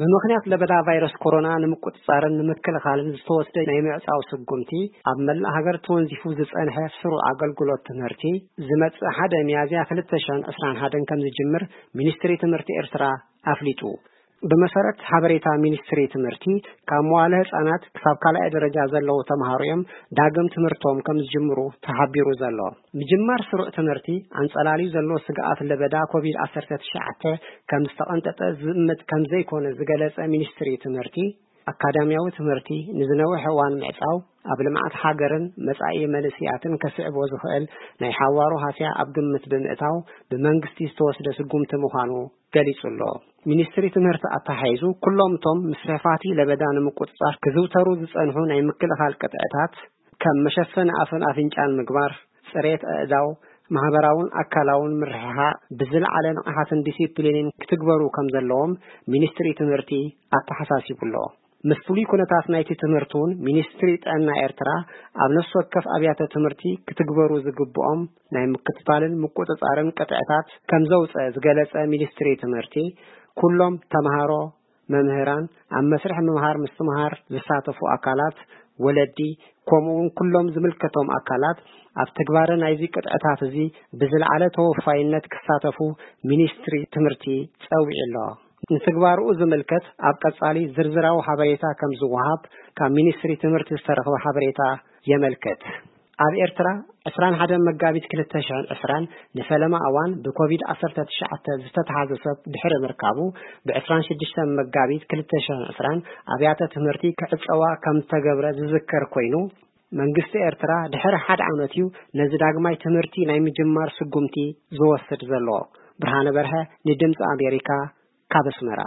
ብምኽንያት ለበዳ ቫይረስ ኮሮና ንምቁጽጻርን ንምክልኻልን ዝተወስደ ናይ ምዕጻው ስጉምቲ፣ ኣብ መላእ ሃገር ተወንዚፉ ዝጸንሐ ስሩዕ ኣገልግሎት ትምህርቲ፣ ዝመጽእ ሓደ ሚያዝያ ክልተ ሺሕን ዕስራን ሓደን ከም ዝጅምር ሚኒስትሪ ትምህርቲ ኤርትራ ኣፍሊጡ። ብመሰረት ሓበሬታ ሚኒስትሪ ትምህርቲ፣ ካብ መዋለ ህጻናት ክሳብ ካልኣይ ደረጃ ዘለዉ ተምሃሮ እዮም ዳግም ትምህርቶም ከም ዝጅምሩ ተሓቢሩ ዘሎ። ምጅማር ስሩዕ ትምህርቲ ኣንጸላልዩ ዘሎ ስግኣት ለበዳ ኮቪድ ዓሰርተ ትሽዓተ ከም ዝተቐንጠጠ ዝእምት ከም ዘይኮነ ዝገለጸ ሚኒስትሪ ትምህርቲ፣ ኣካዳሚያዊ ትምህርቲ ንዝነውሕ እዋን ምዕጻው ኣብ ልምዓት ሃገርን መጻኢ መንእስያትን ከስዕቦ ዝኽእል ናይ ሓዋሩ ሃስያ ኣብ ግምት ብምእታው ብመንግስቲ ዝተወስደ ስጉምቲ ምዃኑ ገሊጹ ኣሎ። ሚኒስትሪ ትምህርቲ ኣተሓሒዙ፣ ኩሎም እቶም ምስፋሕፋሕቲ ለበዳ ንምቁጽጻር ክዝውተሩ ዝጸንሑ ናይ ምክልኻል ቅጥዕታት፣ ከም መሸፈኒ ኣፍን ኣፍንጫን ምግባር፣ ጽሬት ኣእዳው፣ ማህበራውን ኣካላውን ምርሕሓቕ፣ ብዝለዓለ ንቕሓትን ዲሲፕሊንን ክትግበሩ ከም ዘለዎም ሚኒስትሪ ትምህርቲ ኣተሓሳሲቡ ኣሎ። ምስ ፍሉይ ኩነታት ናይቲ ትምህርቲ እውን ሚኒስትሪ ጥዕና ኤርትራ ኣብ ነፍሲ ወከፍ ኣብያተ ትምህርቲ ክትግበሩ ዝግብኦም ናይ ምክትታልን ምቁጽጻርን ቅጥዕታት ከም ዘውጸ ዝገለጸ ሚኒስትሪ ትምህርቲ፣ ኩሎም ተምሃሮ፣ መምህራን፣ ኣብ መስርሕ ምምሃር ምስትምሃር ዝሳተፉ ኣካላት፣ ወለዲ፣ ከምኡ እውን ኩሎም ዝምልከቶም ኣካላት ኣብ ትግባረ ናይዚ ቅጥዕታት እዚ ብዝለዓለ ተወፋይነት ክሳተፉ ሚኒስትሪ ትምህርቲ ጸዊዑ ኣሎ። ንትግባርኡ ዝምልከት ኣብ ቀጻሊ ዝርዝራዊ ሓበሬታ ከም ዝወሃብ ካብ ሚኒስትሪ ትምህርቲ ዝተረኽበ ሓበሬታ የመልክት። ኣብ ኤርትራ ዕስራን ሓደን መጋቢት ክልተ ሺሕን ዕስራን ንፈለማ እዋን ብኮቪድ ዓሰርተ ትሽዓተ ዝተተሓዘ ሰብ ድሕሪ ምርካቡ፣ ብ ዕስራን ሽዱሽተን መጋቢት ክልተ ሺሕን ዕስራን ኣብያተ ትምህርቲ ክዕጸዋ ከም ዝተገብረ ዝዝከር ኮይኑ፣ መንግስቲ ኤርትራ ድሕሪ ሓደ ዓመት እዩ ነዚ ዳግማይ ትምህርቲ ናይ ምጅማር ስጉምቲ ዝወስድ ዘሎ። ብርሃነ በርሀ ንድምጺ ኣሜሪካ ካብ ኣስመራ።